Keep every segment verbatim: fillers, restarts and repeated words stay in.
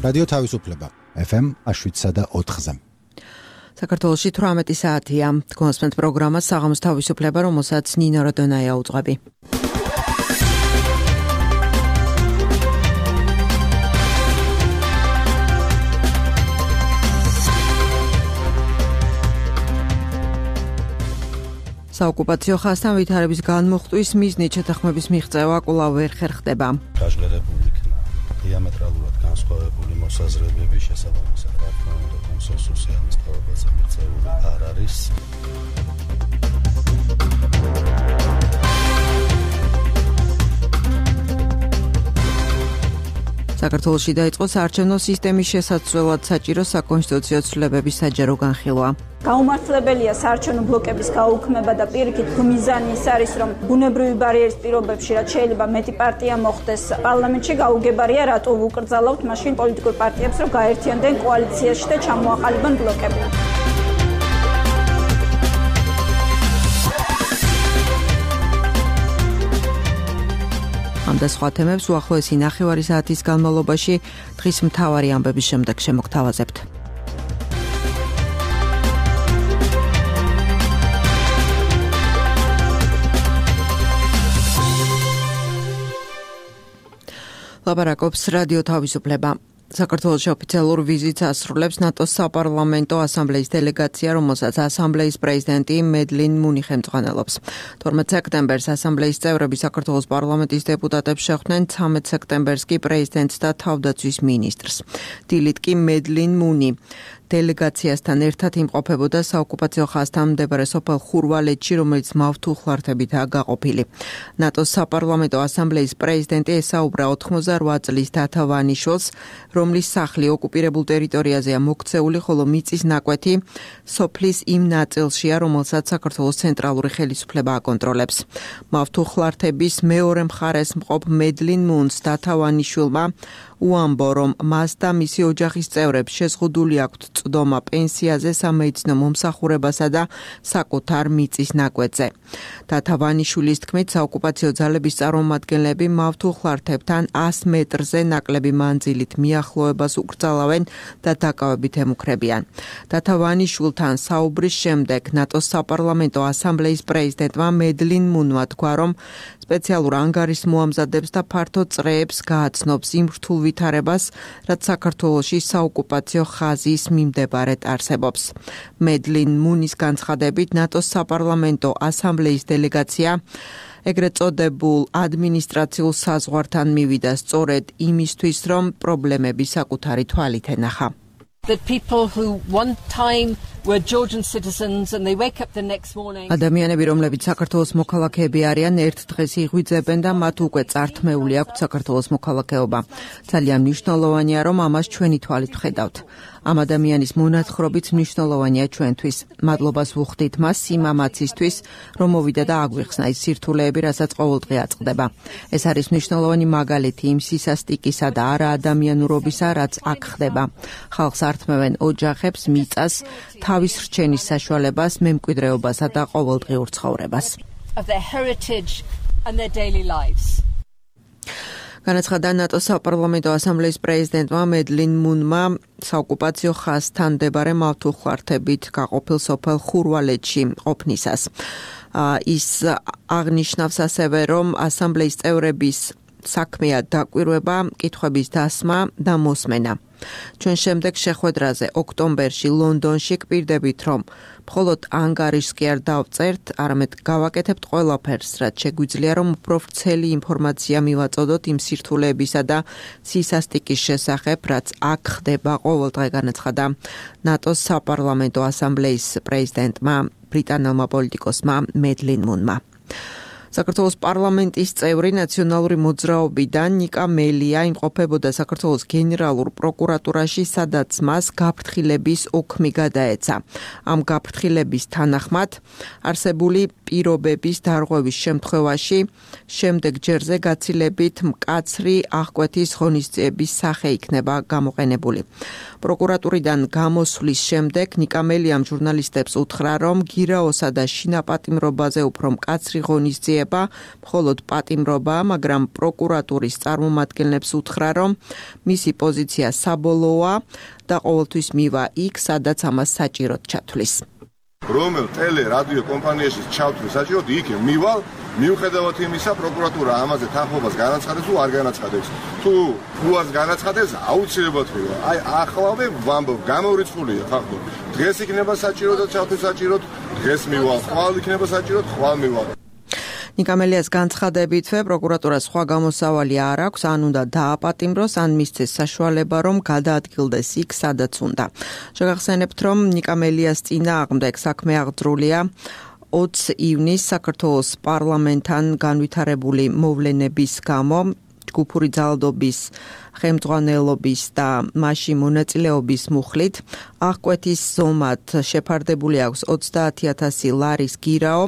რადიო თავისუფლება ეფ ემ შვიდსა და ოთხზე. საქართველოში თვრამეტი საათია. გონსმენთ პროგრამა საღამოს თავისუფლება, რომელსაც ნინო როდონაია უძღვები. საოკუპაციო ხაზთან ვითარების განმუხტვის მიზნით შეთანხმების მიღწევა კვლავ ვერ ხერხდება. გაჟღერებული იქნა დიამეტრალურად განსხვავებული მოსაზრებები შესაბამისად, რა თქმა უნდა, კონსენსუსი ამის თავებაზე მიღწეული არ არის. საქართველოში დაიწყო საარჩევნო სისტემის შესაცვლელად საჭირო საკონსტიტუციო ცვლილებების საჯარო განხილვა. გაუმართლებელია საარჩევნო ბლოკების გაუქმება და პირიქით მიზანი ის არის, რომ ბუნებრივი ბარიერის პირობებში, რაც შეიძლება მეტი პარტია მოხდეს პარლამენტში, გაუგებარია რატო ვუკრძალავთ მაშინ პოლიტიკურ პარტიებს, რომ გაერთიანდნენ კოალიციაში და ჩამოაყალიბონ ბლოკები. ამ და სხვა თემებს უახლოესი ნახევარი საათის განმავლობაში დღის მთავარი ამბების შემდეგ შემოგთავაზებთ. ლაპარაკობს რადიო თავისუფლება. საქართველოში ოფიციალურ ვიზიტს ასრულებს ნატოს საპარლამენტო ასამბლეის დელეგაცია, რომელსაც ასამბლეის პრეზიდენტი მედლინ მუნი ხელმძღვანელობს. თორმეტ სექტემბერს ასამბლეის წევრები საქართველოს პარლამენტის დეპუტატებს შეხვდნენ, ცამეტ სექტემბერს კი პრეზიდენტს და თავდაცვის მინისტრს. დილით კი მედლინ მუნი დელეგაციასთან ერთად იმყოფებოდა საოკუპაციო ხაზთან მდებარე სოფელ ხურვალეთში, რომელიც მავთუხლართებითაა გაყოფილი. ნატოს საპარლამენტო ასამბლეის პრეზიდენტი ესაუბრა ოთხმოცდაოთხ წლის დათა ვანიშვილს, რომლის სახლი ოკუპირებულ ტერიტორიაზეა მოქცეული, ხოლო მიწის ნაკვეთი სოფლის იმ ნაწილშია, რომელსაც საქართველოს ცენტრალური ხელისუფლება აკონტროლებს. მავთუხლართების მეორე მხარეს მყოფ მედლინ მუნს დათა ვანიშვილმა უამბო, რომ მას და მისი ოჯახის წევრებს შეზღუდული აქვთ წვდომა პენსიაზე, სამედიცინო მომსახურებასა და საკუთარ მიწის ნაკვეთზე. დათა ვანიშვილის თქმით, საოკუპაციო ძალების წარმომადგენლები მავთუხლართებთან ას მეტრზე ნაკლები მანძილით მიახლოებას უკრძალავენ და დაკავებით ემუქრებიან. დათა ვანიშვილთან საუბრის შემდეგ ნატოს საპარლამენტო ასამბლეის პრეზიდენტმა მედლინ მუნმა თქვა, რომ სპეციალურ ანგარიშს მოამზადებს და ფართო წრეებს გააცნობს იმ რთულ ვითარებას, რაც საქართველოში საოკუპაციო ხაზის მიმდებარედ არსებობს. მედლინ მუნის განცხადებით, ნატოს საპარლამენტო ასამბლეის დელეგაცია ეგრეთ წოდებულ ადმინისტრაციულ საზღვართან მივიდა სწორედ იმისთვის, რომ პრობლემები საკუთარი თვალით ენახა. That people who one time were Georgian citizens and they wake up the next morning. ადამიანები, რომლებიც საქართველოს მოქალაქეები არიან, ერთ დღეს იღვიძებენ და მათ უკვე წართმეული აქვთ საქართველოს მოქალაქეობა. ძალიან მნიშვნელოვანია, რომ ამას ჩვენი თვალით ვხედავთ. ამ ადამიანის მონათხრობით მნიშვნელოვანია ჩვენთვის. მადლობას ვუხდით მას სიმამაცისთვის, რომ მოვიდა და აგვიხსნა ის სირთულეები, რასაც ყოველდღე აწყდება. ეს არის მნიშვნელოვანი მაგალითი იმ სისასტიკისა და არაადამიანურობისა, რაც აქ ხდება. ხალხს ართმევენ ოჯახებს, მიწას, თავის რჩენის საშუალებას, მემკვიდრეობასა და ყოველდღიურ ცხოვრებას. Of their heritage and their daily lives. განაცხადა ნატოს საპარლამენტო ასამბლეის პრეზიდენტმა მედლინ მუნმა საოკუპაციო ხაზთან მდებარე მავთუხლართებით გაყოფილ სოფელ ხურვალეთში ყოფნისას. ის აღნიშნავს ასევე, რომ ასამბლეის წევრების საქმეა დაკვირვება, კითხვების დასმა და მოსმენა. ჩვენ შემდეგ შეხვედრაზე ოქტომბერში ლონდონში გვპირდებით, რომ მხოლოდ ანგარიშს კი არ დავწერთ, არამედ გავაკეთებთ ყველაფერს, რაც შეგვიძლია, რომ უფრო ვრცელი ინფორმაცია მივაწოდოთ იმ სირთულეებისა და სისასტიკის შესახებ, რაც აქ ხდება ყოველდღე, განაცხადა ნატოს საპარლამენტო ასამბლეის პრეზიდენტმა, ბრიტანელმა პოლიტიკოსმა მედლინ მუნმა. საქართველოს პარლამენტის წევრი ნაციონალური მოძრაობიდან ნიკა მელია იმყოფებოდა საქართველოს გენერალურ პროკურატურაში, სადაც მას გაფრთხილების ოქმი გადაეცა. ამ გაფრთხილების თანახმად არსებული პირობების დარღვევის შემთხვევაში შემდეგ ჯერზე გაცილებით მკაცრი აღკვეთის ღონისძიების სახე იქნება გამოყენებული. პროკურატურიდან გამოსვლის შემდეგ ნიკამელიამ ჟურნალისტებს უთხრა, რომ გირაოსა და შინაპატიმრობაზე უფრო მკაცრი ღონისძიება მხოლოდ პატიმრობაა, მაგრამ პროკურატურის წარმომადგენლებს უთხრა, რომ მისი პოზიცია საბოლოოა და ყოველთვის მივა იქ, სადაც ამას საჭიროდ ჩათვლის. რომელ ტელე რადიო კომპანიაში ჩავთვლი საჭიროდ იქ მივალ, მიუხედავად იმისა, პროკურატურა ამაზე თანხმობას განაცხადებს თუ არ განაცხადებს. თუ უარს განაცხადებს, აუცილებლად მივა. აი ახლავე ვამბობ, გამორიცხულია ფაქტობ. დღეს იქნება საჭირო და ჩავთვლი საჭიროდ, დღეს მივალ. ხვალ იქნება საჭიროდ, ხვალ მივალ. ნიკამელიას განცხადებითვე პროკურატურას სხვა გამოსავალი არ აქვს, ან უნდა დააპატიმროს, ან მისცეს საშუალება, რომ გადაადგილდეს იქ, სადაც უნდა. შეგახსენებთ, რომ ნიკამელიას წინააღმდეგ საქმე აღძრულია ოცი ივნისს საქართველოს პარლამენტთან განვითარებული მოვლენების გამო, ჯგუფური ძალადობის ხელმძღვანელობის და მასში მონაწილეობის მუხლით აღკვეთის ზომად შეფარდებული აქვს ოცდაათი ათასი ლარის გირაო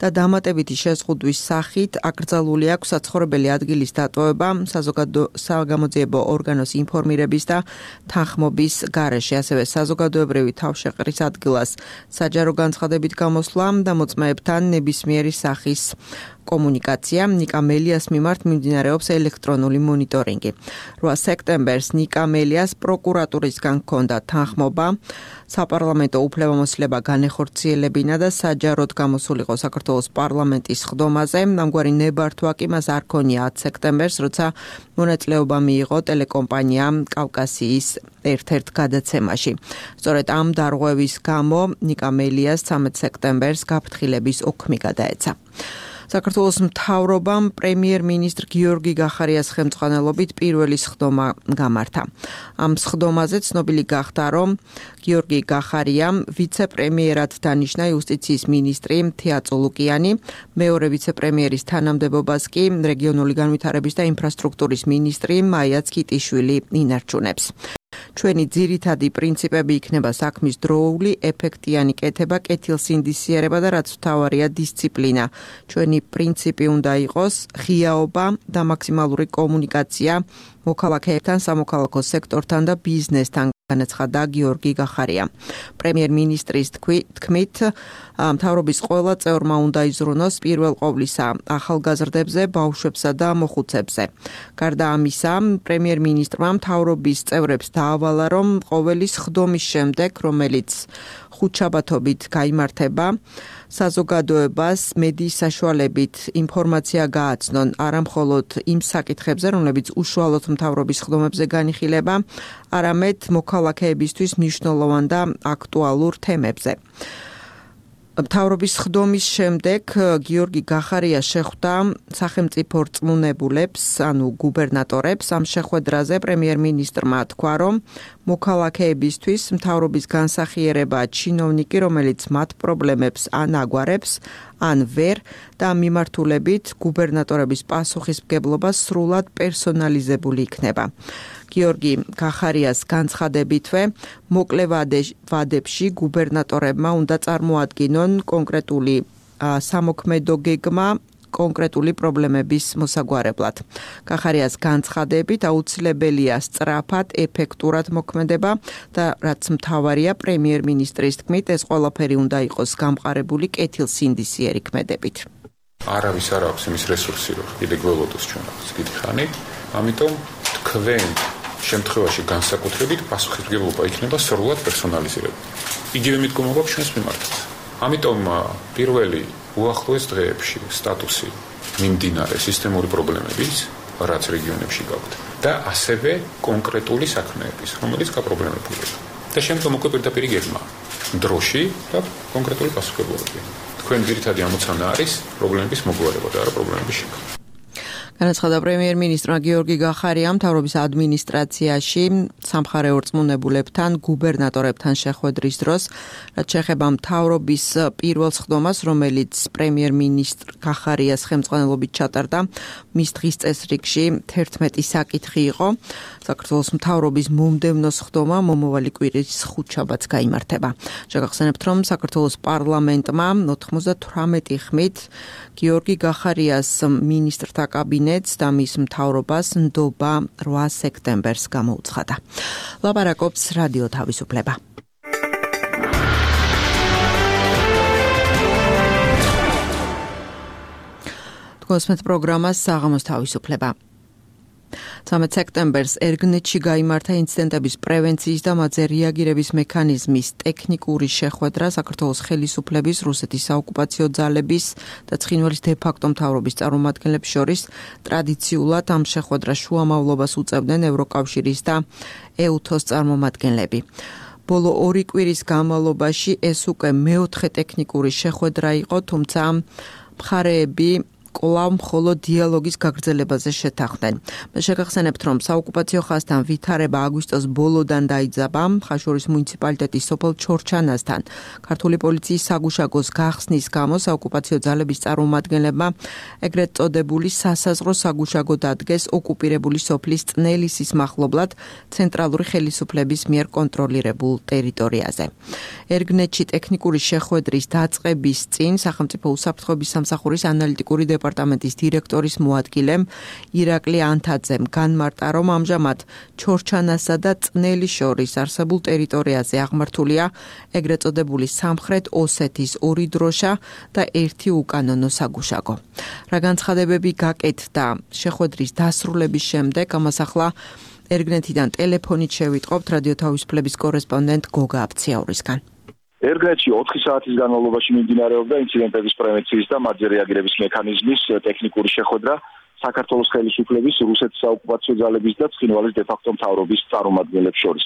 და დამატებითი შეზღუდვის სახით აკრძალული აქვს საცხოვრებელი ადგილის დატოვება საზოგადო საგამოძიებო ორგანოს ინფორმირების და თანხმობის გარეშე, ასევე საზოგადოებრივი თავშეყრის ადგილას საჯარო განცხადებით გამოსვლა და მოწმეებთან ნებისმიერი სახის კომუნიკაცია. ნიკამელიას მიმართ მიმდინარეობს ელექტრონული მონიტორინგი. რვა სექტემბერს ნიკამელიას პროკურატურისგან ჰქონდა თანხმობა საპარლამენტო უფლებამოსილება განეხორციელებინა და საჯაროდ გამოსულიყო საქართველოს პარლამენტის ხდომაზე. ამგვარი ნებართვა კი მას არ ქონია ათი სექტემბერს, როცა მონაწილეობა მიიღო ტელეკომპანია კავკასიის ერთ-ერთ გადაცემაში. სწორედ ამ დარღვევის გამო ნიკამელიას ცამეტი სექტემბერს გაფრთხილების ოქმი გადაეცა. საქართველოს მთავრობამ პრემიერ-მინისტრ გიორგი გახარიას ხელმძღვანელობით პირველი სხდომა გამართა. ამ სხდომაზე ცნობილი გახდა, რომ გიორგი გახარიამ ვიცე-პრემიერად დანიშნა იუსტიციის მინისტრი თეა წულუკიანი, მეორე ვიცე-პრემიერის თანამდებობას კი რეგიონული განვითარების და ინფრასტრუქტურის მინისტრი მაია ცკიტიშვილი ინარჩუნებს. ჩვენი ძირითადი პრინციპები იქნება საქმის დროული, ეფექტიანი კეთება, კეთილსინდისიერება და რაც მთავარია დისციპლინა. ჩვენი პრინციპი უნდა იყოს ღიაობა და მაქსიმალური კომუნიკაცია მოქალაქეებთან, სამოქალაქო სექტორთან და ბიზნესთან, განაცხადა გიორგი გახარია. პრემიერ-მინისტრის თქმით, მთავრობის ყველა წევრმა უნდა იზრუნოს პირველ ყოვლისა ახალგაზრდებზე, ბავშვებსა და მოხუცებზე. გარდა ამისა, პრემიერ-მინისტრმა მთავრობის წევრებს დაავალა, რომ ყოველი სხდომის შემდეგ, რომელიც ხუთშაბათობით გაიმართება, საზოგადოებას მედიის საშუალებით ინფორმაცია გააცნონ არა მხოლოდ იმ საკითხებზე, რომლებიც უშუალოდ მთავრობის სხდომებზე განიხილება, არამედ მოქალაქეებისთვის მნიშვნელოვან და აქტუალურ თემებზე. მთავრობის სხდომის შემდეგ გიორგი გახარია შეხვდა სახელმწიფო რწმუნებულებს, ანუ გუბერნატორებს. ამ შეხვედრაზე პრემიერ-მინისტრმა თქვა, რომ მოქალაქეებისთვის მთავრობის განსახიერება ჩინოვნიკი, რომელიც მათ პრობლემებს ან აგვარებს, ან ვერ და მიმართულებით გუბერნატორების პასუხისმგებლობა სრულად პერსონალიზებული იქნება. გიორგი გახარიას განცხადებითვე, მოკლე ვადებში გუბერნატორებმა უნდა წარმოადგინონ კონკრეტული სამოქმედო გეგმა კონკრეტული პრობლემების მოსაგვარებლად. გახარიას განცხადებით აუცილებელია სწრაფად, ეფექტურად მოქმედება და რაც მთავარია პრემიერ-მინისტრის თქმით, ეს ყველაფერი უნდა იყოს გამყარებული კეთილსინდისიერი ქმედებით. არავის არ აქვს იმის რესურსი, რომ კიდე გველოდოს ჩვენს დიდი ხანი, ამიტომ თქვენ შემთხვევაში განსაკუთრებით პასუხისმგებლობა იქნება სრულად პერსონალიზირებული. იგივე მიდგომა გვაქვს ჩვენს მიმართაც. ამიტომ პირველი უახლოეს დღეებში სტატუსი მიმდინარე სისტემური პრობლემების, რაც რეგიონებში გაქვთ, და ასევე კონკრეტული საქმეების, რომელიც გაპრობლემებულია. და შემდგომ უკვე პირდაპირ გეგმა დროში და კონკრეტული პასუხისმგებლობები. თქვენ ძირითადი ამოცანა არის პრობლემების მოგვარება და არა პრობლემების შექმნა. განაცხადა პრემიერ-მინისტრმა გიორგი გახარიამ მთავრობის ადმინისტრაციაში სამხარეო რწმუნებულებთან, გუბერნატორებთან შეხვედრის დროს, რაც შეეხება მთავრობის პირველ სხდომას, რომელიც პრემიერ-მინისტრ გახარიას ხელმძღვანელობით ჩატარდა, მის დღის წესრიგში თერთმეტი საკითხი იყო. საქართველოს მთავრობის მომდევნო სხდომა მომავალი კვირის ხუთშაბათს გაიმართება. შეგახსენებთ, რომ საქართველოს პარლამენტმა ოთხმოცდათვრამეტი ხმით გიორგი გახარიას მინისტრთა კაბინეტ კაბინეტს და მის მთავრობას ნდობა რვა სექტემბერს გამოუცხადა. ლაპარაკობს რადიო თავისუფლება. გოსმეთ პროგრამას საღამოს თავისუფლება. ცამეტ სექტემბერს ერგნეთში გაიმართა ინციდენტების პრევენციის და მათზე რეაგირების მექანიზმის ტექნიკური შეხვედრა საქართველოს ხელისუფლების, რუსეთის საოკუპაციო ძალების და ცხინვალის დე-ფაქტო მთავრობის წარმომადგენლებს შორის. ტრადიციულად ამ შეხვედრას შუამავლობას უწევდნენ ევროკავშირის და ეუთოს წარმომადგენლები. ბოლო ორი კვირის განმავლობაში ეს უკვე მეოთხე ტექნიკური შეხვედრა იყო, თუმცა მხარეები კვლავ მხოლოდ დიალოგის გაგრძელებაზე შეთანხმდნენ. მე შეგახსენებთ, რომ საოკუპაციო ხაზთან ვითარება აგვისტოს ბოლოდან დაიძაბა ხაშურის მუნიციპალიტეტის სოფელ ჩორჩანასთან. ქართული პოლიციის საგუშაგოს გახსნის გამო საოკუპაციო ძალების წარმომადგენლებმა ეგრეთ წოდებული სასაზღვრო საგუშაგო დადგეს ოკუპირებული სოფლის წნელისის მახლობლად ცენტრალური ხელისუფლების მიერ კონტროლირებულ ტერიტორიაზე. ერგნეთში ტექნიკური შეხვედრის დაწყების წინ სახელმწიფო უსაფრთხოების სამსახურის ანალიტიკური დეპარტამენტის დირექტორის მოადგილემ ირაკლი ანთაძემ განმარტა, რომ ამჟამად ჩორჩანასა და წნელის შორის არსებულ ტერიტორიაზე აღმართულია ეგრეთ წოდებული სამხრეთ ოსეთის ორი დროშა და ერთი უკანონო საგუშაგო. რა განცხადებები გაკეთდა შეხვედრის დასრულების შემდეგ, ამას ახლა ერგნეთიდან ტელეფონით შევიტყობთ რადიო თავისუფლების კორესპონდენტ გოგა აფციაურისგან. ერგნეთში ოთხი საათის განმავლობაში მიმდინარეობდა ინციდენტების პრევენციის და მათზე რეაგირების მექანიზმის ტექნიკური შეხვედრა საქართველოს ხელისუფლების, რუსეთის საოკუპაციო ძალების და ცხინვალის დე-ფაქტო მთავრობის წარმომადგენლებს შორის.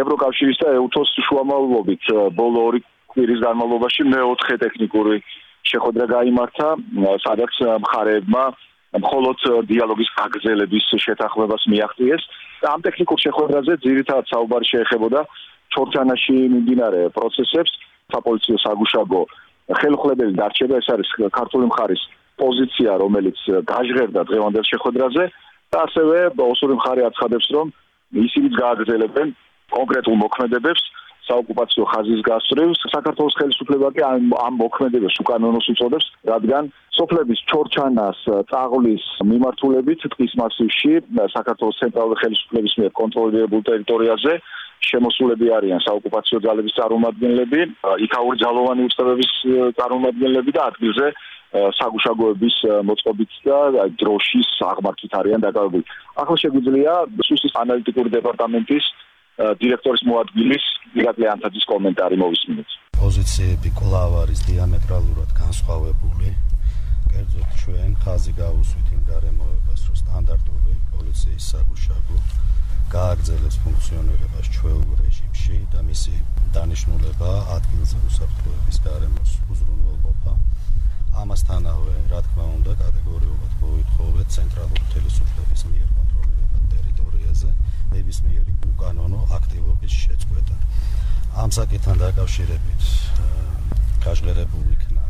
ევროკავშირის და ეუთოს შუამავლობით ბოლო ორი კვირის განმავლობაში მეოთხე ტექნიკური შეხვედრა გაიმართა, სადაც მხარეებმა მხოლოდ დიალოგის გაგრძელების შეთანხმებას მიაღწიეს. ამ ტექნიკურ შეხვედრაზე ძირითადად საუბარი შეეხებოდა ჩორჩანაში მიმდინარე პროცესებს, საპოლიციო საგუშაგო ხელუხლებელი დარჩება, ეს არის ქართული მხარის პოზიცია, რომელიც გაჟღერდა დღევანდელ შეხვედრაზე და ასევე ოსური მხარე აცხადებს, რომ ისინიც გააგრძელებენ კონკრეტულ მოქმედებებს საოკუპაციო ხაზის გასწვრივ. საქართველოს ხელისუფლება კი ამ მოქმედებებს უკანონოს უწოდებს, რადგან სოფლების ჩორჩანას, წაღლის მიმართულებით ტყის მასივში საქართველოს ცენტრალური ხელისუფლების მიერ კონტროლირებულ ტერიტორიაზე შემოსულები არიან საოკუპაციო ძალების წარმომადგენლები, იქაური ძალოვანი უწყებების წარმომადგენლები და ადგილზე საგუშაგოების მოწყობით და დროშის აღმართვით არიან დაკავებული. ახლა შეგვიძლია სუსის ანალიტიკური დეპარტამენტის დირექტორის მოადგილის ირაკლი ანთაძის კომენტარი მოვისმინოთ. პოზიციები კვლავ არის დიამეტრალურად განსხვავებული. კერძოდ ჩვენ ხაზი გავუსვით იმ გარემოებას, რომ სტანდარტული პოლიციის საგუშაგო გააგრძელებს ფუნქციონირებას ჩვეულ რეჟიმში და მისი დანიშნულება ადგილზე უსაფრთხოების გარემოს უზრუნველყოფა. ამასთანავე, რა თქმა უნდა, კატეგორიულად მოითხოვეთ ცენტრალური ხელისუფლების მიერ კონტროლირებულ ტერიტორიაზე ნებისმიერი უკანონო აქტივობის შეწყვეტა. ამ საკითხთან დაკავშირებით გაჟღერებული იქნა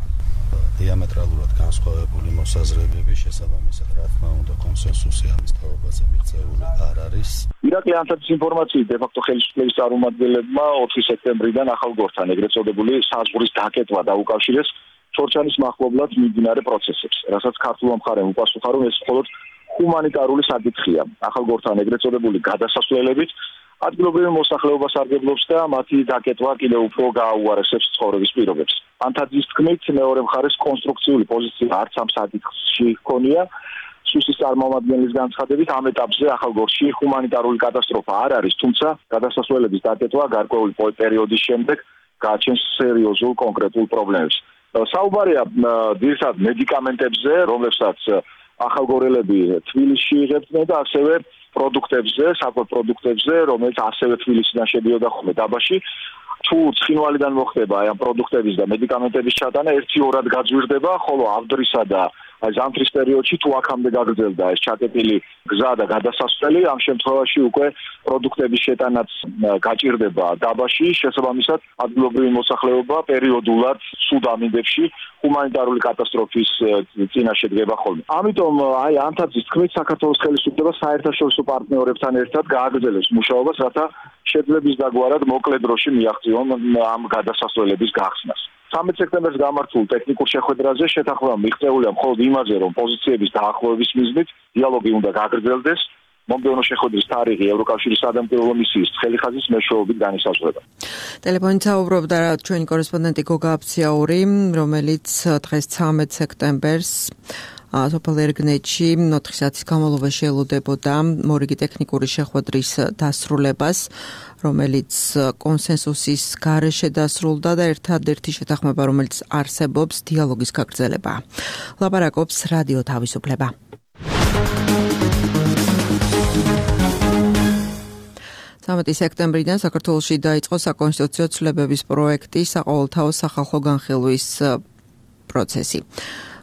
დიამეტრალურად განსხვავებული მოსაზრებები, შესაბამისად, რა თქმა უნდა, კონსენსუსი ამის თაობაზე მიღწეული არ არის. ირაკლი ანთაძის ინფორმაციით, დე-ფაქტო ხელისუფლების წარმომადგენლებმა ოთხი სექტემბრიდან ახალგორთან ეგრეთ წოდებული საზღვრის დაკეტვა დაუკავშირეს ჩორჩანის მახლობლად მიმდინარე პროცესებს, რასაც ქართულმა მხარემ უპასუხა, რომ ეს მხოლოდ ჰუმანიტარული საკითხია. ახალგორთან ეგრეთ წოდებული გადასასვლელებით ადგილობრივი მოსახლეობა სარგებლობს და მათი დაკეტვა კიდევ უფრო გააუარესებს ცხოვრების პირობებს. ანთაძის თქმით, მეორე მხარეს კონსტრუქციული პოზიცია არც ამ საკითხში ჰქონია. სუსის წარმომადგენლის განცხადებით, ამ ეტაპზე ახალგორში ჰუმანიტარული კატასტროფა არ არის, თუმცა გადასასვლელების დაკეტვა გარკვეული პერიოდის შემდეგ გააჩენს სერიოზულ კონკრეტულ პრობლემებს. საუბარია ძირითადად მედიკამენტებზე, რომლებსაც ახალგორელები თბილისში იღებდნენ და ასევე პროდუქტებზე, საკვებ პროდუქტებზე, რომელიც ასევე თბილისიდან შედიოდა ხოლმე დაბაში. თუ ცხინვალიდან მოხდება აი ამ პროდუქტების და მედიკამენტების ჩატანა ერთი-ორად გაძვირდება, ხოლო ავდრისა და აი ზამთრის პერიოდში თუ აქამდე გაგრძელდა ეს ჩაკეტილი გზა და გადასასვლელი, ამ შემთხვევაში უკვე პროდუქტების შეტანაც გაჭირდება დაბაში, შესაბამისად ადგილობრივი მოსახლეობა პერიოდულად სულ ამინდებში ჰუმანიტარული კატასტროფის წინაშე დგება ხოლმე. ამიტომ აი ანთაძის თქმით, საქართველოს ხელისუფლება საერთაშორისო პარტნიორებთან ერთად გააგრძელებს მუშაობას, რათა შეძლების დაგვარად მოკლე დროში მიაღწიონ ამ გადასასვლელების გახსნას. ცამეტ სექტემბერს გამართულ ტექნიკურ შეხვედრაზე შეთანხმება მიღწეულია მხოლოდ იმაზე, რომ პოზიციების დაახლოების მიზნით დიალოგი უნდა გაგრძელდეს. მომდევნო შეხვედრის თარიღი ევროკავშირის სადამკვირვებლო მისიის ცხელი-ხაზის მეშვეობით განისაზღვრება. ტელეფონით საუბრობდა ჩვენი კორესპონდენტი გოგა აფციაური, რომელიც დღეს ცამეტ სექტემბერს სოფელ ერგნეთში ოთხი საათის განმავლობაში ელოდებოდა მორიგი ტექნიკური შეხვედრის დასრულებას, რომელიც კონსენსუსის გარეშე დასრულდა და ერთადერთი შეთანხმება, რომელიც არსებობს, დიალოგის გაგრძელება. ლაპარაკობს რადიო თავისუფლება. ცამეტი სექტემბრიდან საქართველოში დაიწყო საკონსტიტუციო ცვლილებების პროექტი საყოველთაო სახალხო განხილვის პროცესი.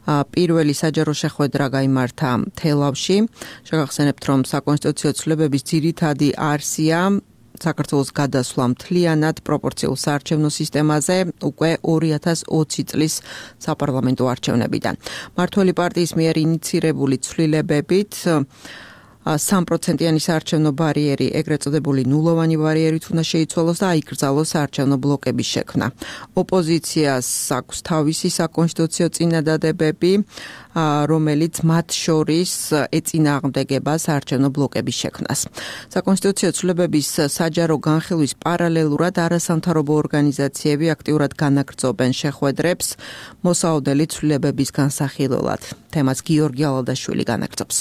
პირველი საჯარო შეხვედრა გაიმართა თელავში. შეგახსენებთ, რომ საკონსტიტუციო ცვლილებების ძირითადი არსია საქართველოს გადასვლა მთლიანად პროპორციულ საარჩევნო სისტემაზე უკვე ორი ათას ოცი წლის საპარლამენტო არჩევნებიდან. მმართველი პარტიის მიერ ინიცირებული ცვლილებებით სამ პროცენტიანი საარჩევნო ბარიერი, ეგრეთ წოდებული ნულოვანი ბარიერით უნდა შეიცვალოს და აიკრძალოს საარჩევნო ბლოკების შექმნა. ოპოზიციას აქვს თავისი საკონსტიტუციო წინადადებები, რომელიც მათ შორის ეწინააღმდეგება საარჩევნო ბლოკების შექმნას. საკონსტიტუციო ცვლილებების საჯარო განხილვის პარალელურად არასამთავრობო ორგანიზაციები აქტიურად განაგრძობენ შეხვედრებს მოსაოდელი ცვლილებების განსახილველად. თემას გიორგი ალადაშვილი განაგრძობს.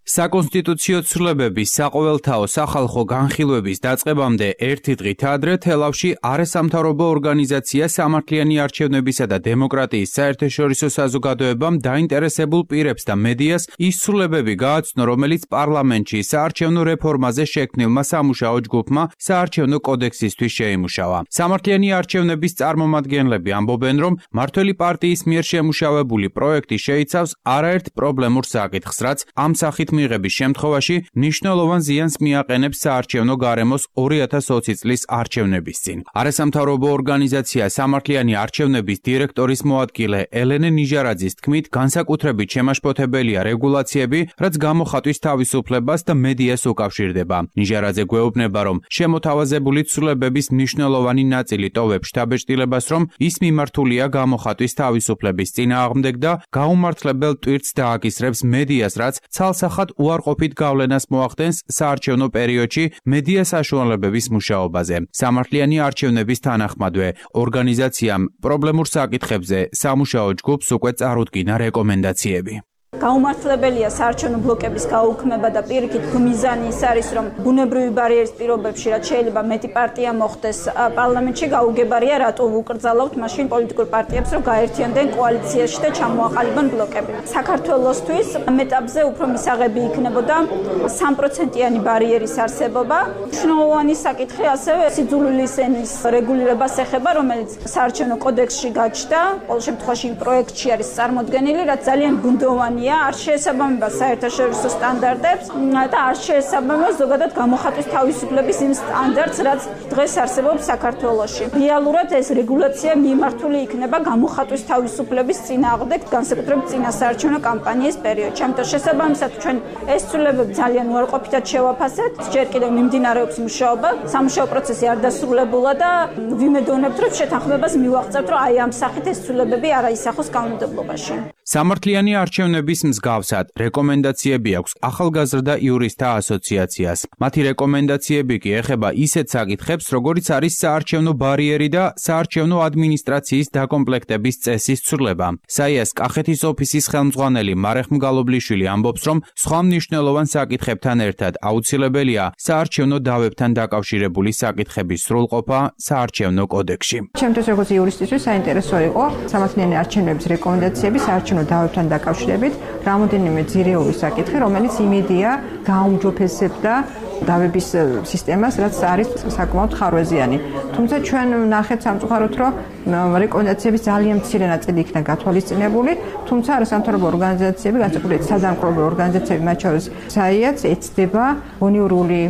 საკონსტიტუციო ცვლილებების საყოველთაო სახალხო განხილვების დაწყებამდე ერთი დღით ადრე თელავში არასამთავრობო ორგანიზაცია სამართლიანი არჩევნებისა და დემოკრატიის საერთაშორისო საზოგადოებამ დაინტერესებულ პირებს და მედიას ის ცვლილებები გააცნო, რომელიც პარლამენტში საარჩევნო რეფორმაზე შექმნილმა სამუშაო ჯგუფმა საარჩევნო კოდექსისთვის შეიმუშავა. სამართლიანი არჩევნების წარმომადგენლები ამბობენ, რომ მმართველი პარტიის მიერ შემუშავებული პროექტი შეიცავს არაერთ პრობლემურ საკითხს, რაც ამ სახით მიღების შემთხვევაში მნიშვნელოვან ზიანს მიაყენებს საარჩევნო გარემოს ორი ათას ოცი წლის არჩევნების წინ. არასამთავრობო ორგანიზაცია სამართლიანი არჩევნების დირექტორის მოადგილე ელენე ნიჟარაძის თქმით, განსაკუთრებით შემაშფოთებელია რეგულაციები, რაც გამოხატვის თავისუფლებას და მედიას უკავშირდება. ნიჟარაძე გვეუბნება, რომ შემოთავაზებული ცვლილებების მნიშვნელოვანი ნაწილი ტოვებს შთაბეჭდილებას, რომ ის მიმართულია გამოხატვის თავისუფლების წინააღმდეგ და გაუმართლებელ ტვირთს დააკისრებს მედიას, რაც ცალსახად უარყოფით გავლენას მოახდენს საარჩევნო პერიოდში მედია საშუალებების მუშაობაზე. სამართლიანი არჩევნების თანახმადვე ორგანიზაციამ პრობლემურ საკითხებზე სამუშაო ჯგუფს უკვე წარუდგინა რეკომენდაციები. გაუმართლებელია საარჩევნო ბლოკების გაუქმება და პირიქით მიზანი ის არის, რომ ბუნებრივი ბარიერის პირობებში, რაც შეიძლება მეტი პარტია მოხდეს პარლამენტში, გაუგებარია რატო უკრძალავთ მაშინ პოლიტიკურ პარტიებს, რომ გაერთიანდნენ კოალიციაში და ჩამოაყალიბონ ბლოკები. საქართველოსთვის ამ ეტაპზე უფრო მისაღები იქნებოდა სამ პროცენტიანი ბარიერის არსებობა. მნიშვნელოვანი საკითხი ასევე სიძულვილის ენის რეგულირებას ეხება, რომელიც საარჩევნო კოდექსში გაჩნდა, ყოველ შემთხვევაში პროექტში არის წარმოდგენილი, რაც ძალიან გუნდოვანია, არ შეესაბამება საერთაშორისო სტანდარტებს და არ შეესაბამება ზოგადად გამოხატვის თავისუფლების იმ სტანდარტს, რაც დღეს არსებობს საქართველოში. რეალურად ეს რეგულაცია მიმართული იქნება გამოხატვის თავისუფლების წინააღმდეგ, განსაკუთრებით წინა საარჩევნო კამპანიის პერიოდში. ამიტომ შესაბამისად ჩვენ ეს ცვლილებები ძალიან უარყოფითად შევაფასებთ. ჯერ კიდევ მიმდინარეობს მუშაობა, სამუშაო პროცესი არ დასრულებულა და ვიმედოვნებთ, რომ შეთანხმებას მივაღწევთ, რომ აი ამ სახით ეს ცვლილებები არ აისახოს კანონმდებლობაში. სამართლიანი არჩევნების მსგავსად რეკომენდაციები აქვს ახალგაზრდა იურისტთა ასოციაციას. მათი რეკომენდაციები კი ეხება ისეთ საკითხებს, როგორიც არის საარჩევნო ბარიერი და საარჩევნო ადმინისტრაციის დაკომპლექტების წესის ცვლილება. საიას კახეთის ოფისის ხელმძღვანელი მარეხ მგალობლიშვილი ამბობს, რომ სხვა მნიშვნელოვან საკითხებთან ერთად აუცილებელია საარჩევნო დავებთან დაკავშირებული საკითხების სრულყოფა საარჩევნო კოდექსში. ჩემთვის როგორც იურისტისთვის საინტერესო იყო სამართლიანი არჩევნების რეკომენდაციები საარჩევნო დავებთან დაკავშირებით რამოდენიმე ძირეული საკითხი, რომელიც იმედია გააუმჯობესებდა დავების სისტემას, რაც არის საკმაოდ ხარვეზიანი. თუმცა ჩვენ ნახეთ სამწუხაროდ, რომ რეკომენდაციების ძალიან მცირე ნაწილი იქნა გათვალისწინებული, თუმცა არასამთავრობო ორგანიზაციები, განსაკუთრებით სადამკვირვებლო ორგანიზაციები, მათ შორის საიაც ეცდება გონიურული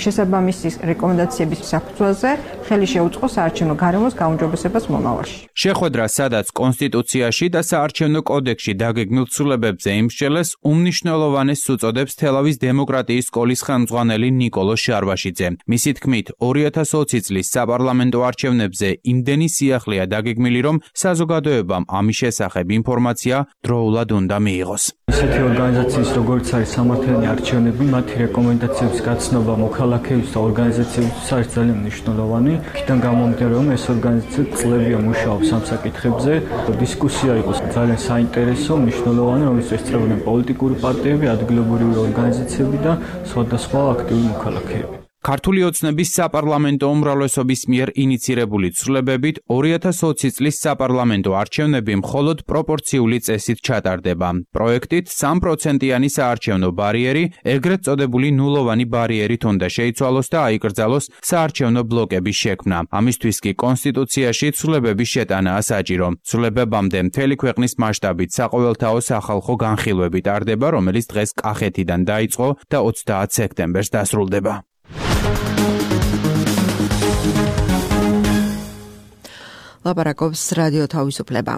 შესაბამისი რეკომენდაციების საფუძველზე ხელი შეუწყო საარჩევნო გარემოს გაუმჯობესებას მომავალში. შეხვედრა, სადაც კონსტიტუციაში და საარჩევნო კოდექსში დაგეგმილ ცვლილებებზე იმსჯელეს, უმნიშვნელოვანეს უწოდებს თელავის დემოკრატიის სკოლის ხელმძღვანელი ნიკოლო შარვაშიძე. მისი თქმით, ორი ათას ოცი წლის საპარლამენტო არჩევნებზე იმდენი სიახლეა დაგეგმილი, რომ საზოგადოებამ ამის შესახებ ინფორმაცია დროულად უნდა მიიღოს. ესეთი ორგანიზაციის როგორც არის სამართლიანი არჩევნები, მათი რეკომენდაციების გაცნობა მოქალაქეების და ორგანიზაციებისთვის არის ძალიან მნიშვნელოვანი. იქიდან გამომდინარე, რომ ეს ორგანიზაცია წლებია მუშაობს ამ საკითხებზე. დისკუსია იყო ძალიან საინტერესო, მნიშვნელოვანი, რომელიც ესწრებოდნენ პოლიტიკური პარტიები, ადგილობრივი ორგანიზაციები და სხვადასხვა აქტიური მოქალაქეები. ქართული ოცნების საპარლამენტო უმრავლესობის მიერ ინიცირებული ცვლილებებით ორი ათას ოცი წლის საპარლამენტო არჩევნები მხოლოდ პროპორციული წესით ჩატარდება. პროექტით სამ პროცენტიანი საარჩევნო ბარიერი, ეგრეთ წოდებული ნულოვანი ბარიერით უნდა შეიცვალოს და აიკრძალოს საარჩევნო ბლოკების შექმნა. ამისთვის კი კონსტიტუციაში ცვლილებების შეტანაა საჭირო. ცვლილებებამდე მთელი ქვეყნის მასშტაბით საყოველთაო სახალხო განხილვები ტარდება, რომელიც დღეს კახეთიდან დაიწყო და ოცდაათ სექტემბერს დასრულდება. ლაპარაკობს რადიო თავისუფლება.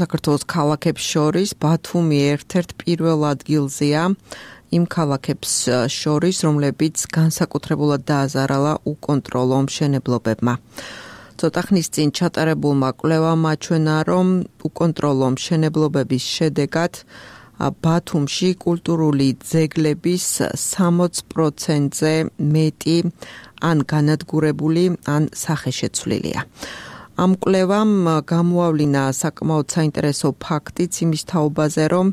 საქართველოს ქალაქებს შორის ბათუმი ერთ-ერთ პირველ ადგილზეა იმ ქალაქებს შორის, რომლებიც განსაკუთრებულად დააზარალა უკონტროლო მშენებლობებმა. ცოტა ხნის წინ ჩატარებულმა კვლევამ აჩვენა, რომ უკონტროლო მშენებლობების შედეგად ბათუმში კულტურული ძეგლების სამოცი პროცენტზე მეტი ან განადგურებული, ან სახეშეცვლილია. ამ კვლევამ გამოავლინა საკმაოდ საინტერესო ფაქტიც იმის თაობაზე, რომ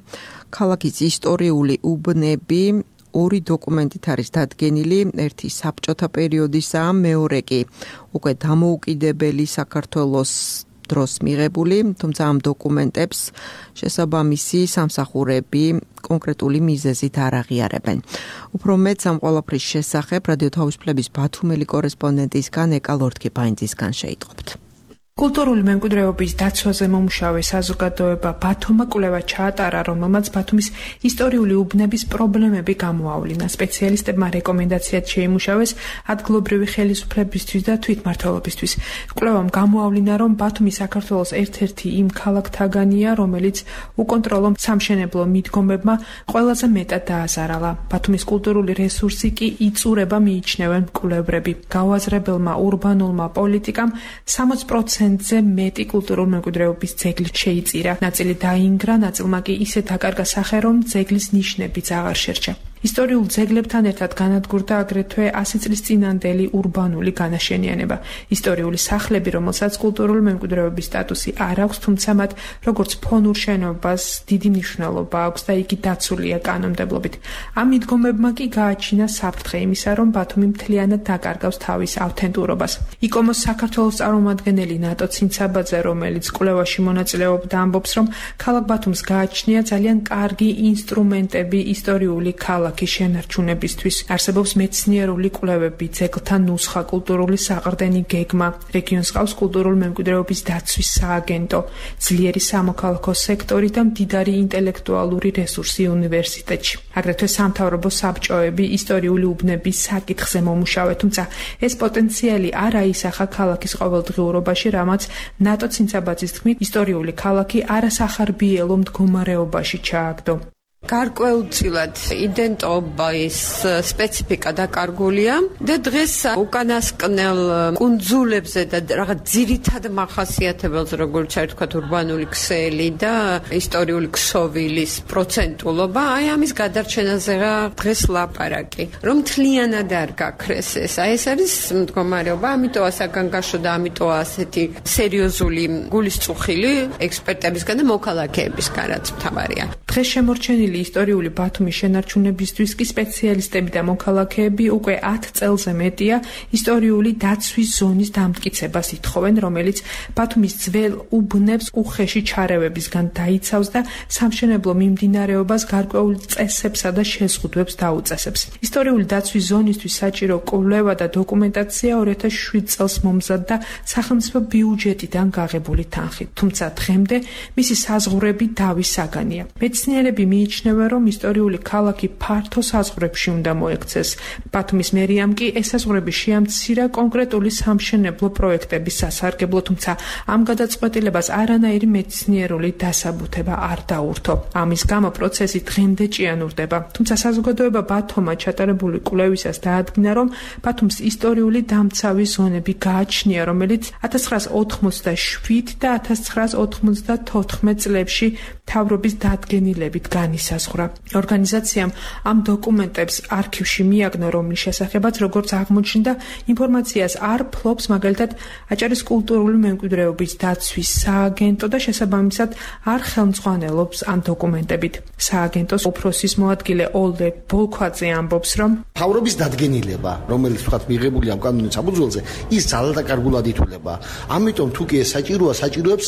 ქალაქის ისტორიული უბნები ორი დოკუმენტით არის დადგენილი, ერთი საბჭოთა პერიოდისაა, მეორე კი უკვე დამოუკიდებელი საქართველოს დროს მიღებული, თუმცა ამ დოკუმენტებს შესაბამისი სამსახურები კონკრეტული მიზეზით არ აღიარებენ. უფრო მეტს ამ ყველაფრის შესახებ რადიო თავისუფლების ბათუმელი კორესპონდენტისგან ეკა ლორთქიფაინძისგან შეიტყობთ. კულტურული მემკვიდრეობის დაცვაზე მომუშავე საზოგადოება ბათუმმა კვლევა ჩაატარა, რომელმაც ბათუმის ისტორიული უბნების პრობლემები გამოავლინა. სპეციალისტებმა რეკომენდაციად შეიმუშავეს ადგილობრივი ხელისუფლებისთვის და თვითმმართველობისთვის. კვლევამ გამოავლინა, რომ ბათუმი საქართველოს ერთ-ერთი იმ ქალაქთაგანია, რომელიც უკონტროლო სამშენებლო მიდგომებმა ყველაზე მეტად დააზარალა. ბათუმის კულტურული რესურსი კი იწურება მიიჩნევენ მკვლევრები. გავაზრებელმა ურბანულმა პოლიტიკამ სამოცი პროცენტზე მეტი კულტურული მემკვიდრეობის ძეგლი შეიწირა. ნაწილი დაინგრა, ნაწილმა კი ისეთ აკარგა სახე, რომ ძეგლის ნიშნებიც აღარ შერჩა. ისტორიულ ძეგლებთან ერთად განადგურდა აგრეთვე ასი წლის წინანდელი ურბანული განაშენიანება. ისტორიული სახლები, რომელსაც კულტურული მემკვიდრეობის სტატუსი არ აქვს, თუმცა მათ როგორც ფონურ შენობას დიდი მნიშვნელობა აქვს და იგი დაცულია კანონმდებლობით. ამ მიდგომებმა კი გააჩინა საფრთხე იმისა, რომ ბათუმი მთლიანად დაკარგავს თავის ავთენტურობას. იკომოს საქართველოს წარმომადგენელი ნატო ცინცაბაძე, რომელიც კვლევაში მონაწილეობდა, ამბობს, რომ ქალაქ ბათუმს გააჩნია ძალიან კარგი ინსტრუმენტები ისტორიული ქალაქ შენარჩუნებისთვის. არსებობს მეცნიერული კვლევები, ძეგლთა ნუსხა, კულტურული საყრდენი გეგმა, რეგიონს ყავს კულტურული მემკვიდრეობის დაცვის სააგენტო, ძლიერი სამოქალაქო სექტორი და მდიდარი ინტელექტუალური რესურსი უნივერსიტეტში. აგრეთვე სამთავრობო საბჭოები ისტორიული უბნების საკითხზე მომუშავე, თუმცა ეს პოტენციალი არ აისახა ქალაქის ყოველდღიურობაში, რამაც ნატო ცინცაბაძის თქმით, ისტორიული ქალაქი არასახარბიელო მდგომარეობაში ჩააგდო. გარკვეულწილად იდენტობის სპეციფიკა დაკარგულია და დღეს უკანასკნელ კუნძულებზე და რაღაც ძირითად მახასიათებელს, როგორც არის თქვა ურბანული ქსელი და ისტორიული ქსოვილის პროცენტულობა, აი ამის გადარჩენაზეა დღეს ლაპარაკი. რომ მთლიანად არ გაქრეს ეს, აი ეს არის მდგომარეობა, ამიტოა საგანგაშო და ამიტოა ასეთი სერიოზული გულისწუხილი ექსპერტებისგან და მოქალაქეებისგან, რაც მთავარია. დღეს შემორჩენილი ისტორიული ბათუმის შენარჩუნებისთვის კი სპეციალისტები და მოქალაქეები უკვე ათ წელზე მეტია ისტორიული დაცვის ზონის დამტკიცებას ითხოვენ, რომელიც ბათუმის ძველ უბნებს უხეში ჩარევებისგან დაიცავს და სამშენებლო მიმდინარეობას გარკვეულ წესებსა და შეზღუდვებს დაუწესებს. ისტორიული დაცვის ზონისთვის საჭირო კვლევა და დოკუმენტაცია ორი ათას შვიდ წელს მომზადდა სახელმწიფო ბიუჯეტიდან გაღებული თანხით, თუმცა დღემდე მისი საზღვრები დავის საგანია. მეც მეცნიერები მიიჩნევენ, რომ ისტორიული ქალაქი ფართო საზღვრებში უნდა მოექცეს. ბათუმის მერიამ კი ესაზღვრები შეამცირა კონკრეტული სამშენებლო პროექტების სასარგებლო, თუმცა ამ გადაწყვეტილებას არანაირი მეცნიერული დასაბუთება არ დაურთო. ამის გამო პროცესი დღემდე ჭიანურდება. თუმცა საზოგადოება ბათუმმა ჩატარებული კვლევისას დაადგინა, რომ ბათუმს ისტორიული დამცავი ზონები გააჩნია, რომელიც ათას ცხრაას ოთხმოცდაშვიდ და ათას ცხრაას ოთხმოცდათოთხმეტ წლებში მთავრობის დადგენილებით განისაზღვრა. ორგანიზაციამ ამ დოკუმენტებს არქივში მიაგნო, რომლის შესახებაც, როგორც აღმოჩნდა, ინფორმაციას არ ფლობს მაგალითად აჭარის კულტურული მემკვიდრეობის დაცვის სააგენტო და შესაბამისად არ ხელმძღვანელობს ამ დოკუმენტებით. სააგენტოს უფროსის მოადგილე ოლდე ბოლქვაძე ამბობს, რომ მთავრობის დადგენილება, რომელიც ვთქვათ მიღებული ამ კანონის საფუძველზე, ის ძალადაკარგულად ითვლება. ამიტომ თუ კი ეს საჭიროა, საჭიროებს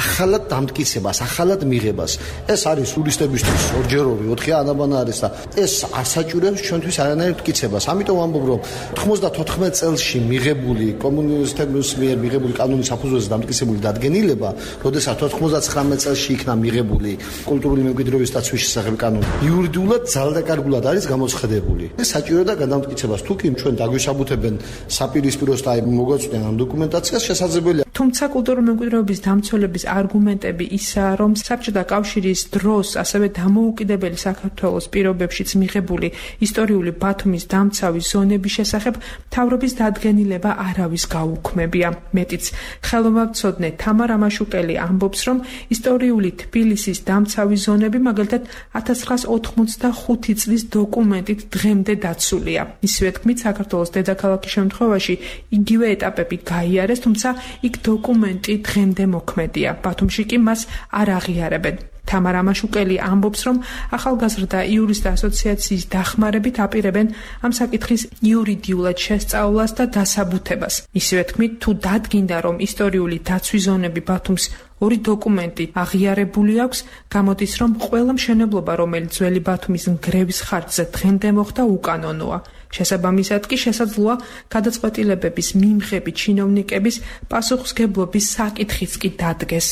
ახალად დამტკიცებას, ახალად მიღებას. ეს არის ტურისტებისთვის ორჯეროვი, ოთხი ანაბანა არის და ეს ასაჭიროებს ჩვენთვის არანაირ მტკიცებას. ამიტომ ამბობ, რომ ოთხმოცდათოთხმეტ წელში მიღებული კომუნისტების მიერ მიღებული კანონის საფუძველზე დამტკიცებული დადგენილება, როდესაც ოთხმოცდაცხრამეტ წელში იქნა მიღებული კულტურული მემკვიდრეობის დაცვის შესახებ კანონი, იურიდიულად ძალადაკარგულად არის გამოცხადებული. ეს საჭიროა გადამტკიცებას. თუ კი ჩვენ დაგვისაბუთებენ საპირისპიროს და მოგვაწვდენ ამ დოკუმენტაციას, შესაძლებელია. თუმცა კულტურული მემკვიდრეობის დამცველების არგუმენტები ისაა, რომ საბჭოთა კავშირის დროს ასევე დამოუკიდებელი საქართველოს პირობებშიც მიღებული ისტორიული ბათუმის დამცავი ზონების შესახებ მთავრობის დადგენილება არავის გაუქმებია. მეტიც, ხელოვნებაცოდნე თამარ ამაშუკელი ამბობს, რომ ისტორიული თბილისის დამცავი ზონები მაგალითად ათას ცხრაას ოთხმოცდახუთი წლის დოკუმენტით დღემდე დაცულია. ისივე თქმით, საქართველოს დედაქალაქის შემთხვევაში იგივე ეტაპები გაიარეს, თუმცა იქ დოკუმენტი დღემდე მოქმედია. ბათუმში კი მას არ აღიარებენ. თამარ ამაშუკელი ამბობს, რომ ახალგაზრდა იურისტთა ასოციაციის დახმარებით აპირებენ ამ საკითხის იურიდიულად შესწავლას და დასაბუთებას. ისივე თქმით, თუ დადგინდა, რომ ისტორიული დაცვის ზონები ბათუმს ორი დოკუმენტი აღიარებული აქვს, გამოდის, რომ ყველა მშენებლობა, რომელიც ძველი ბათუმის ნგრევის ხარჯზე დღემდე მოხდა, უკანონოა. შესაბამისად კი შესაძლოა გადაწყვეტილებების მიმღები ჩინოვნიკების პასუხისმგებლობის საკითხიც კი დადგეს.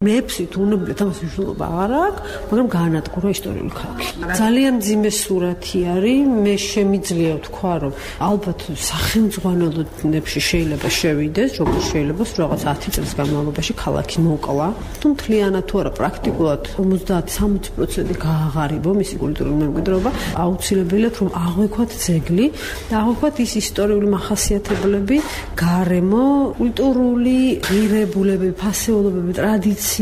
მეექვსით უნებლიეთ ამას მნიშვნელობა არ აქვს, მაგრამ გაანადგურა ისტორიული ქალაქი. ძალიან მძიმე სურათი არის, მე შემიძლია ვთქვა, რომ ალბათ სახელმძღვანელოებში შეიძლება შევიდეს, როგორც შეიძლება რაღაც ათი წლის განმავლობაში ქალაქი მოკლა. თუ მთლიანად თუ არა პრაქტიკულად ორმოცდაათი სამოცი პროცენტი გააღარიბო მისი კულტურული მემკვიდრეობა, აუცილებელია რომ აღვიქვათ ძეგლი და აღვიქვათ ის ისტორიული მახასიათებლები, გარემო, კულტურული ღირებულებები, ფასეულობები, ტრადიციები,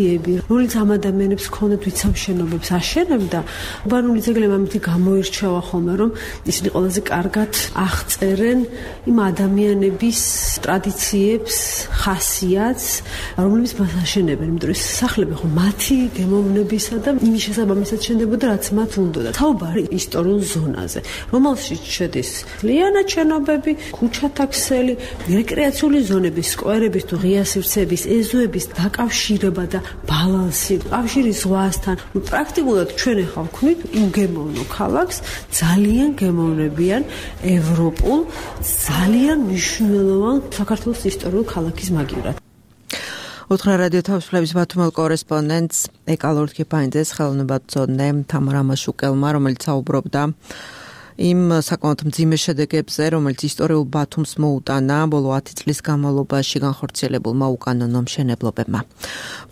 რომელიც ამ ადამიანებს ქონდათ, ვიც ამ შენობებს აშენებდა. ურბანული ძეგლები ამით გამოირჩევა ხოლმე, რომ ისინი ყველაზე კარგად აღწერენ იმ ადამიანების ტრადიციებს, ხასიათს, რომლებიც მას აშენებენ. იმიტომ რომ სახლები ხო მათი გემოვნებისა და იმის შესაბამისად შენდებოდა, რაც მათ უნდოდა. საუბარი ისტორიულ ზონაზე, რომელშიც შედის ლიანად შენობები, ქუჩათა ქსელი, რეკრეაციული ზონების, სკვერების თუ ღია სივრცეების, ეზოების დაკავშირება და ბალანსი, კავშირი ზღვასთან. პრაქტიკულად ჩვენ ახლა ვქნით იმ გემოვნო ქალაქს, ძალიან გემოვნებიან ევროპულ, ძალიან მნიშვნელოვან საქართველოს ისტორიულ ქალაქის მაგივრად. უთხრა რადიო თავისუფლების ბათუმელ კორესპონდენტს ეკალორთქიფაინძეს ხელოვნებაცოდნე თამარ ამაშუკელმა, რომელიც საუბრობდა იმ საკმაოდ მძიმე შედეგებზე, რომელიც ისტორიულ ბათუმს მოუტანა ბოლო ათი წლის განმავლობაში განხორციელებულმა უკანონო მშენებლობებმა.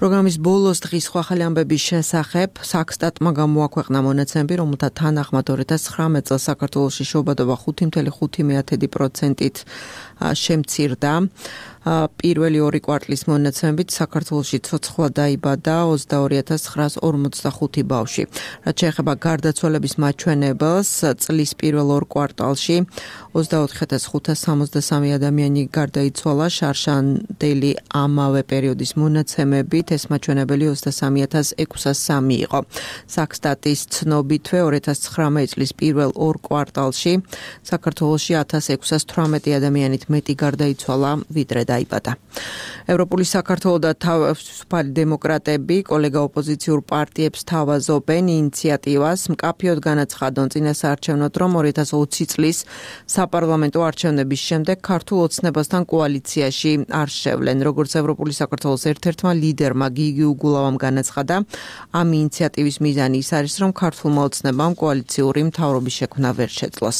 პროგრამის ბოლოს დღის სხვა ახალი ამბების შესახებ საქსტატმა გამოაქვეყნა მონაცემები, რომელთა თანახმად ორი ათას ცხრამეტ წელს საქართველოში შობადობა ხუთი ოცდაორი პროცენტით შემცირდა. პირველი ორი კვარტლის მონაცემებით საქართველოში ცოცხლა დაიბადა ოცდაორი ათას ცხრაას ორმოცდახუთი ბავშვი. რაც შეეხება გარდაცვალების მაჩვენებელს, წლის პირველ ორ კვარტალში ოცდაოთხი ათას ხუთას სამოცდასამი ადამიანი გარდაიცვალა, შარშანდელი ამავე პერიოდის მონაცემებით ეს მაჩვენებელი ოცდასამი ათას ექვსასამი იყო. საქსტატის ცნობითვე ორი ათას ცხრამეტ წლის პირველ ორ კვარტალში საქართველოში ათას ექვსას თვრამეტი ადამიანით მეტი გარდაიცვალა, ვიდრე დაიბადა. ევროპული საქართველო და თავისუფალი დემოკრატები კოლეგა ოპოზიციურ პარტიებს თავაზობენ ინიციატივას მკაფიოდ განაცხადონ წინასაარჩევნოდ, რომ ორი ათას ოცი წლის საპარლამენტო არჩევნების შემდეგ ქართულ ოცნებასთან კოალიციაში არ შევლენ. როგორც ევროპული საქართველოს ერთ-ერთმა ლიდერმა გიგი უგულავამ განაცხადა, ამ ინიციატივის მიზანი ის არის, რომ ქართულმა ოცნებამ კოალიციური მთავრობის შექმნა ვერ შეძლოს.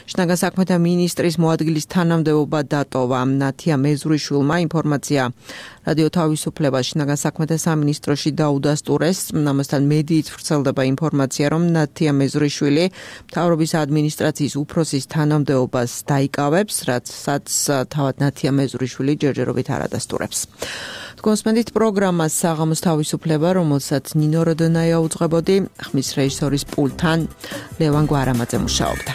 შინაგან საქმეთა მინისტრის მოადგილის თანამდებობა დატოვა. ნათია მეზურიშვილმა ინფორმაცია რადიო თავისუფლება შინაგან საქმეთა სამინისტროში დაუდასტურეს. ამასთან მედიით ვრცელდება ინფორმაცია, რომ ნათია მეზურიშვილი მთავრობის ადმინისტრაციის უფროსის თანამდებობას დაიკავებს, რასაც თავად ნათია მეზურიშვილი ჯერჯერობით არ ადასტურებს. კონსპენდით პროგრამას საღამოს თავისუფლება, რომელსაც ნინო როდონაია უძღვებოდი, ხმის რეჟისორის პულტთან ლევან გვარამაძე მუშაობდა.